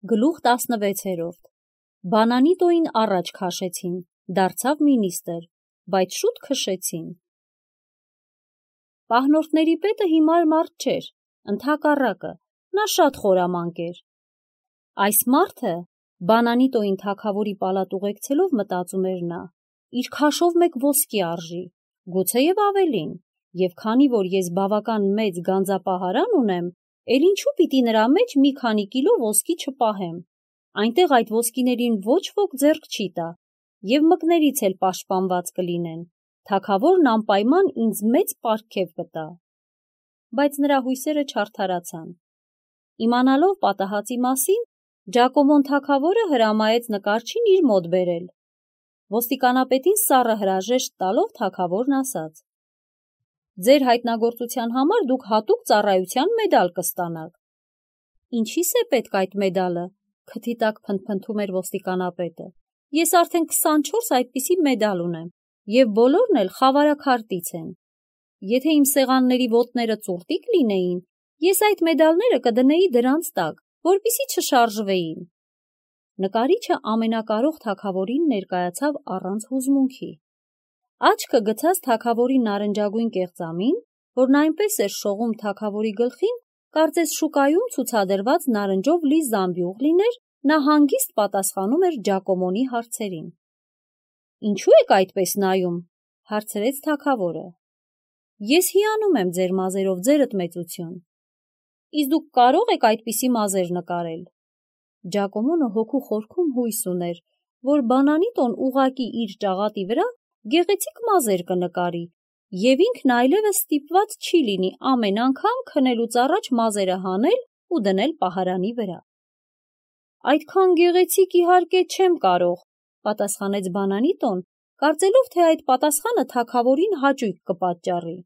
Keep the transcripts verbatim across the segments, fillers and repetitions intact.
Գլուխ տասնվեցերորդ. Բանանիտոյին առաջ քաշեցին, դարձավ մինիստր, բայց շուտ քշեցին։ Պահնորդների պետը հիմար մարդ չէր, ընդհակառակը, նա շատ խորամանկ էր։ Այս մարդը, Բանանիտոյին թագավորի պալատ ուղեկցելով մտածում էր նա, իր քաշով մեկ ոսկի արժի, գուցեև ավելին, և քանի որ ես բավական մեծ գանձապահարան ունեմ, էլ ինչու պիտի նրա մեջ մի քանի կիլո ոսկի չպահեմ, այնտեղ այդ ոսկիներին ոչ ոք ձեռք չի տա, և մկներից էլ պաշտպանված կլինեն, թագավորն անպայման ինձ մեծ պարգև կտա։ Բայց նրա հույսերը չարդարացան։ Իմանալով պատահածի մասին, Ջակոմոն թագավորը հրամայեց նկարչին իր մոտ բերել։ Ոստիկանապետին սառը հրաժեշտ տալով թագավորն ասաց. «Ձեր հայտնագործության համար դուք հատուկ ծառայության մեդալ կստանաք»։ «Ինչի՞ս է պետք այդ մեդալը», քթի տակ փնթփնթում էր ոստիկանապետը։ «Ես արդեն քսանչորս այդպիսի մեդալ ունեմ, և բոլորն էլ խավարաքարտից են։ Եթե իմ սեղանների ոտները ծուռտիկ լինեին, ես այդ մեդալները կդնեի դրանց տակ, որպեսզի չշարժվեին»։ Նկարիչը ամենակարող թագավորին ներկայացավ առանց հուզմունքի։ Աչքը գցած թագավորի նարնջագույն կեղծամին, որն այնպես էր շողում թագավորի գլխին, կարծես շուկայում ցուցադրված նարնջով լի զամբյուղ լիներ, նա հանգիստ պատասխանում էր Ջակոմոնի հարցերին։ «Ինչու եք այդպես նայում», հարցրեց թագավորը։ «Ես հիանում եմ ձեր մազերով, ձերդ մեծություն»։ «Իսկ դուք կարո՞ղ եք այդպիսի մազեր նկարել»։ Ջակոմոնը հոգու խորքում հույս ուներ, որ Բանանիտոն ուղղակի իր ճաղատի վրա գեղեցիկ մազեր կնկարի, և ինքն այլևս ստիպված չի լինի ամեն անգամ քնելուց առաջ մազերը հանել ու դնել պահարանի վրա։ «Այդքան գեղեցիկ իհարկե չեմ կարող», պատասխանեց Բանանիտոն, կարծելով, թե այդ պատասխանը թագավորին հաճույք կպատճառի։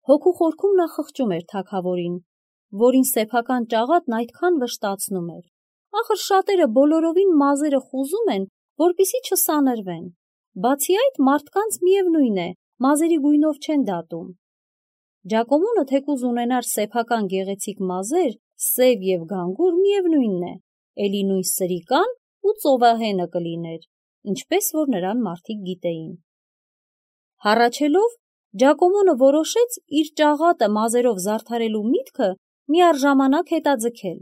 Հոգու խորքում նա խղճում էր թագավորին, որին սեփական ճաղատն այդքան վշտացնում էր։ Ախր շատերը բոլորովին մազերը խուզում են, որպեսզի չսանրվեն։ Բացի այդ, մարդկանց միևնույն է, մազերի գույնով չեն դատում։ Ջակոմոնը թեկուզ ունենար սեփական գեղեցիկ մազեր, սև և գանգուր, միևնույնն է, էլի նույն սրիկան ու ծովահենը կլիներ, ինչպես որ նրան մարդիկ գիտեին։ Հառաչելով, Ջակոմոնը որոշեց իր ճաղատը մազերով զարդարելու միտքը միառժամանակ հետաձգել,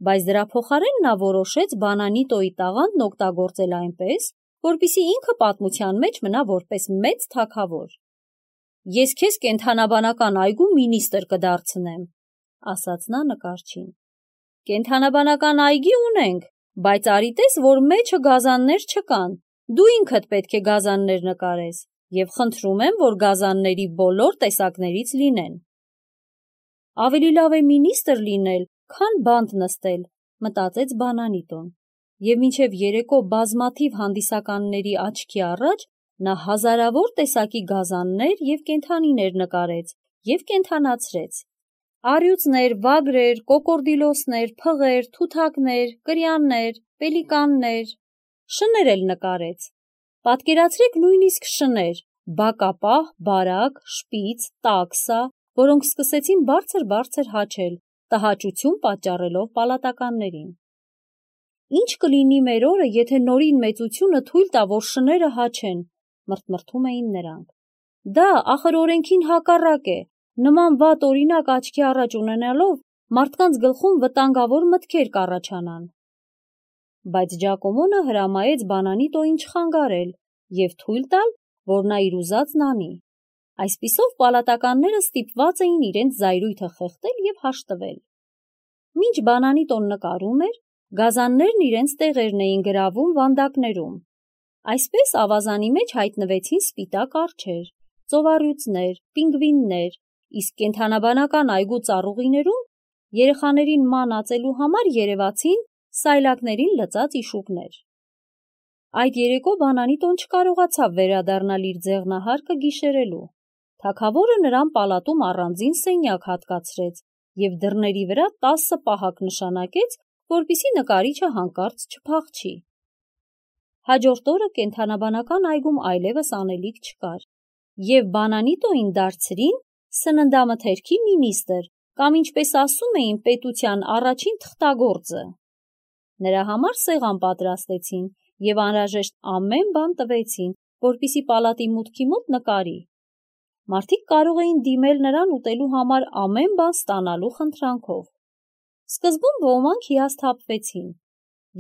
բայց դրա փոխարեն նա որոշեց Բանանիտոյի տաղանդն օգտագործել այնպես, որպեսզի ինքը պատմության մեջ մնա որպես մեծ թագավոր։ «Ես քեզ կենդանաբանական այգու մինիստր կդարձնեմ», ասաց նա նկարչին։ «Կենդանաբանական այգի ունենք, բայց արի տես, որ մեջը գազաններ չկան, դու ինքդ պետք է գազաններ նկարես, և խնդրում եմ, որ գազանների բոլոր տեսակներից լինեն»։ «Ավելի լավ է մինիստր լինել, քան բանտ նստել», մտածեց Բանանիտոն, և մինչև երեկո բազմաթիվ հանդիսականների աչքի առաջ նա հազարավոր տեսակի գազաններ և կենդանիներ նկարեց և կենդանացրեց. առյուծներ, վագրեր, կոկորդիլոսներ, փղեր, թութակներ, կրյաններ, պելիկաններ, շներ էլ նկարեց։ Պատկերացրեք նույնիսկ շներ՝ բակապահ, բարակ, շպից, տաքսա, որոնք սկսեցին բարձր-բարձր հաչել, տհաճություն պատճառելով պալատականներին։ «Ինչ կլինի մեր օրը, եթե Նորին մեծությունը թույլ տա, որ շները հաչեն», մրթմրթում էին նրանք։ «Դա ախր օրենքին հակառակ է, նման վատ օրինակ աչքի առաջ ունենալով մարդկանց գլխում վտանգավոր մտքեր կառաջանան»։ Բայց Ջակոմոնը հրամայեց Բանանիտոյին չխանգարել և թույլ տալ, որ նա իր ուզածն անի։ Այսպիսով պալատականները ստիպված էին իրենց զայրույթը խեղդել և հաշտվել։ Մինչ Բանանիտոն նկարում էր, գազաններն իրենց տեղերն էին գրավում վանդակներում։ Այսպես ավազանի մեջ հայտնվեցին սպիտակ արջեր, ծովառյուծներ, պինգվիններ, իսկ կենդանաբանական այգու ծառուղիներում երեխաներին ման ածելու համար երևացին սայլակներին լծած իշուկներ։ Այդ երեկո Բանանիտոն չկարողացավ վերադառնալ իր ձեղնահարկը գիշերելու։ Թագավորը նրան պալատում առանձին սենյակ հատկացրեց և դռների վրա տասը պահակ նշանակեց, որպեսզի նկարիչը հանկարծ չփախչի։ Հաջորդ օրը կենդանաբանական այգում այլևս անելիք չկար, և Բանանիտոյին դարձրին սննդամթերքի մինիստր կամ ինչպես ասում էին պետության առաջին թղթագործը։ Նրա համար սեղան պատրաստեցին և անհրաժեշտ ամեն բան տվեցին, որպեսզի պալատի մուտքի մոտ նկարի։ Մարդիկ կարող էին դիմել նրան ուտելու համար ամեն բան ստանալու խնդրանքով։ Սկզբում ոմանք հիասթափվեցին։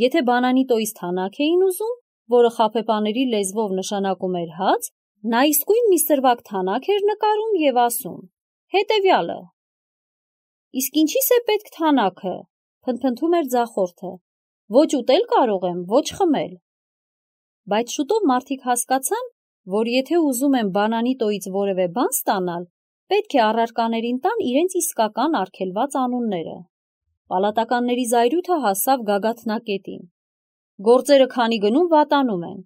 Եթե բանանիտոյից թանաք էին ուզում, որը խաբեբաների լեզվով նշանակում էր հաց, նա իսկույն մի սրվակ թանաք էր նկարում և ասում. հետևյալը։ Իսկ ինչի՞ս է պետք թանաքը, փնթփնթում էր ձախորդը, ոչ ուտել կարող եմ, ոչ խմել։ Բայց շուտով մարդիկ հասկացան, որ եթե ուզում են բանանիտոյից որևէ բան ստանալ, պետք է առարկաներին տան իրենց իսկական արգելված անունները։ Պալատականների զայրույթը հասավ գագաթնակետին։ Գործերը քանի գնում վատանում են,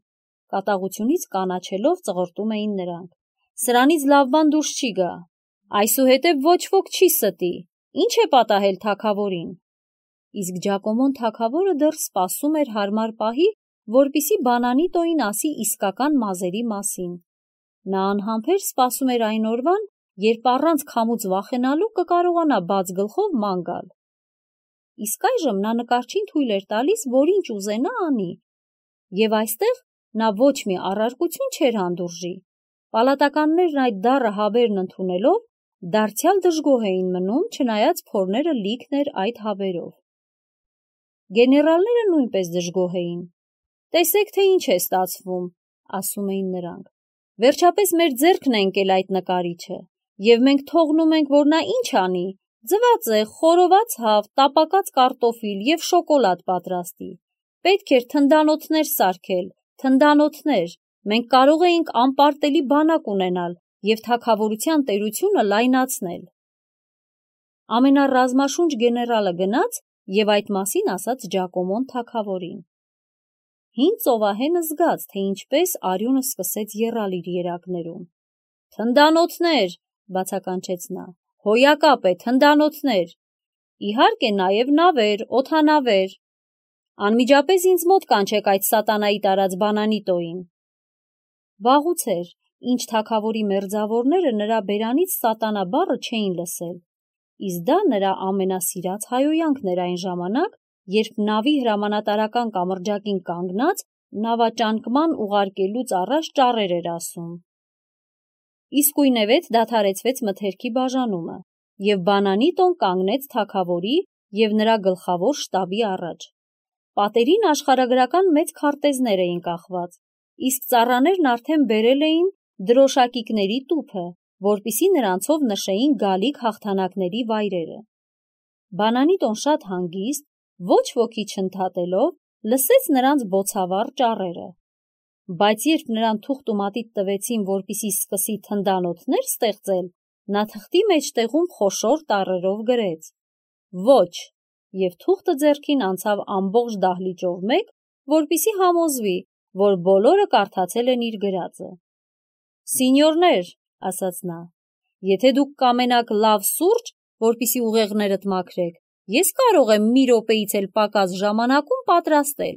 կատաղությունից կանաչելով ծղրտում էին նրանք։ Սրանից լավ բան դուրս չի գա, այսուհետև ոչ ոք չի ստի, ինչ է պատահել թագավորին։ Իսկ Ջակոմոն թագավորը դեռ սպասում էր հարմար պահի, որպեսզի բանանիտոյին ասի իսկական մազերի մասին։ Նա անհամբեր սպասում էր այն օրվան, երբ առանց քամուց վախենալու կկարողանա բաց գլխով ման գալ։ Իսկ այժմ նա նկարչին թույլ էր տալիս, որ ինչ ուզենա անի, և այստեղ նա ոչ մի առարկություն չէր հանդուրժի։ Պալատականներն այդ դառը հավերն ընդունելով, դարձյալ դժգոհ էին մնում, չնայած փորները լիքն էր այդ հավերով։ Գեներալները նույնպես դժգոհ էին։ Տեսեք, թե ինչ է ստացվում, ասում էին նրանք։ Վերջապես մեր ձեռքն է ընկել այդ նկարիչը, և մենք թողնում ենք, որ նա ինչ անի, ձվածեղ, խորոված հավ, տապակած կարտոֆիլ և շոկոլադ պատրաստի։ Պետք էր թնդանոթներ սարքել, թնդանոթներ, մենք կարող էինք անպարտելի բանակ ունենալ և թագավորության տերությունը լայնացնել։ Ամենառազմաշունչ գեներալը գնաց և այդ մասին ասաց Ջակոմոն թագավորին։ Հին ծովահենը զգաց, թե ինչպես արյունը սկսեց եռալ իր երակներում։ Թնդանոթներ, բացականչեց նա, հոյակապ է, թնդանոթներ, իհարկե նաև նավեր, օդանավեր։ Անմիջապես ինձ մոտ կանչեք այդ սատանայի տարած բանանիտոյին։ Վաղուց էր, ինչ թագավորի մերձավորները նրա բերանից սատանա բառը չէին լսել, իսկ դա նրա ամենասիրած հայհոյանքն էր այն ժամանակ, երբ նավի հրամանատարական կամրջակին կանգնած նավաճանկման ուղարկելուց առաջ ճառեր էր ասում։ Իսկույնևեթ դադարեցվեց մթերքի բաժանումը, և բանանիտոն կանգնեց թագավորի և նրա գլխավոր շտաբի առաջ։ Պատերին աշխարհագրական մեծ քարտեզներ էին կախված, իսկ ծառաներն արդեն բերել էին դրոշակիկների տուփը, որպեսզի նրանցով նշեին գալիք հաղթանակների վայրերը։ Բանանիտոն շատ հանգիստ, ոչ ոքի չընդհատելով, լսեց նրանց բոցավառ ճառերը։ Բայց երբ նրան թուղթ ու մատիտ տվեցին, որպեսզի սկսի թնդանոթներ ստեղծել, նա թղթի մեջտեղում խոշոր տառերով գրեց. ոչ, և թուղթը ձեռքին անցավ ամբողջ դահլիճով մեկ, որպեսզի համոզվի, որ բոլորը կարդացել են իր գրածը։ Սինյորներ, ասաց նա, եթե դուք կամենաք լավ սուրճ, որպեսզի ուղեղներդ մաքրեք, ես կարող եմ մի րոպեից էլ պակաս ժամանակում պատրաստել։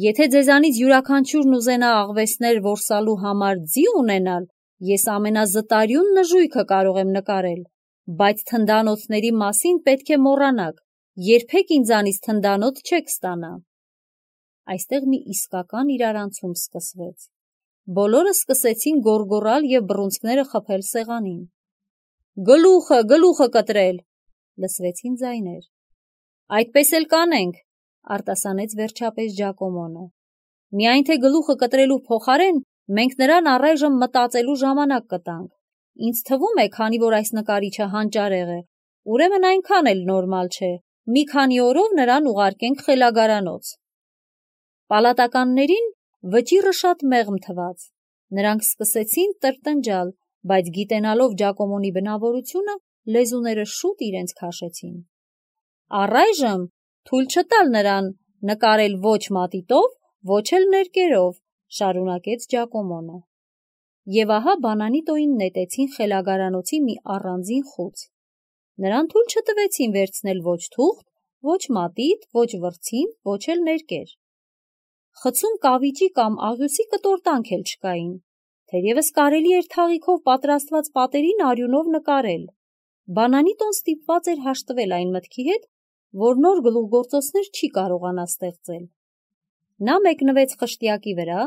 Եթե ձեզանից յուրաքանչյուրն ուզենա աղվեսներ որսալու համար ձի ունենալ, ես ամենազտարյուն նժույգը կարող եմ նկարել, բայց թնդանոթների մասին պետք է մոռանաք, երբեք ինձանից թնդանոթ չեք ստանա։ Այստեղ մի իսկական իրարանցում սկսվեց։ Բոլորը սկսեցին գոռգոռալ և բռունցքները խփել սեղանին։ Գլուխը, գլուխը կտրել, լսվեցին ձայներ։ Այդպես էլ կանենք, արտասանեց վերջապես Ջակոմոնը։ Միայն թե գլուխը կտրելու փոխարեն մենք նրան առայժմ մտածելու ժամանակ կտանք։ Ինձ թվում է, քանի որ այս նկարիչը հանճարեղ է, ուրեմն այնքան էլ նորմալ չէ, մի քանի օրով նրան ուղարկենք խելագարանոց։ Պալատականներին վճիռը շատ մեղմ թվաց։ Նրանք սկսեցին տրտնջալ, բայց գիտենալով Ջակոմոնի բնավորությունը, լեզուները շուտ իրենց քաշեցին։ Առայժմ թույլ չտալ նրան նկարել ոչ մատիտով, ոչ էլ ներկերով, շարունակեց Ջակոմոնը։ Եվ ահա բանանիտոյին նետեցին խելագարանոցի մի առանձին խուց։ Նրան թույլ չտվեցին վերցնել ոչ թուղթ, ոչ մատիտ, ոչ վրձին, ոչ էլ ներկեր։ Խցում կավիճի կամ աղյուսի կտորտանք էլ չկային, թերևս կարելի էր թաղիքով պատրաստված պատերին արյունով նկարել, Բանանի տոն ստիպված էր հաշտվել այն մտքի հետ, որ նոր գլուխգործոցներ չի կարողանա ստեղծել։ Նա մեկնվեց խշտյակի վրա,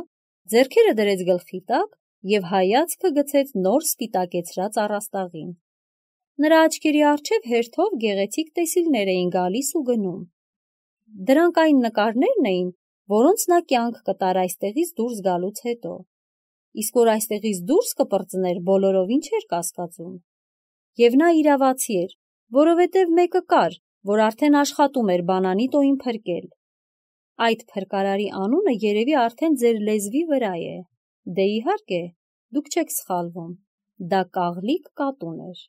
ձեռքերը դրեց գլխի տակ և հայացքը գցեց նոր սպիտակեցրած առաստաղին։ Նրա աչքերի առջև հերթով գեղեցիկ տեսիլներ էին գալիս ու գնում։ Դրանք այն նկարներն էին, որոնց նա կյանք կտար այստեղից դուրս գալուց հետո։ Իսկ որ այստեղից դուրս կպրծներ, բոլորովին չէր կասկածում։ Եվ նա իրավացի էր, որովհետև մեկը կար, որ արդեն աշխատում էր բանանի տոյին փրկել։ Այդ փրկարարի անունը երևի արդեն ձեր լեզվի վրա է։ Դե իհարկե, դուք չեք սխալվում։ Դա Կաղլիկ կատուն էր։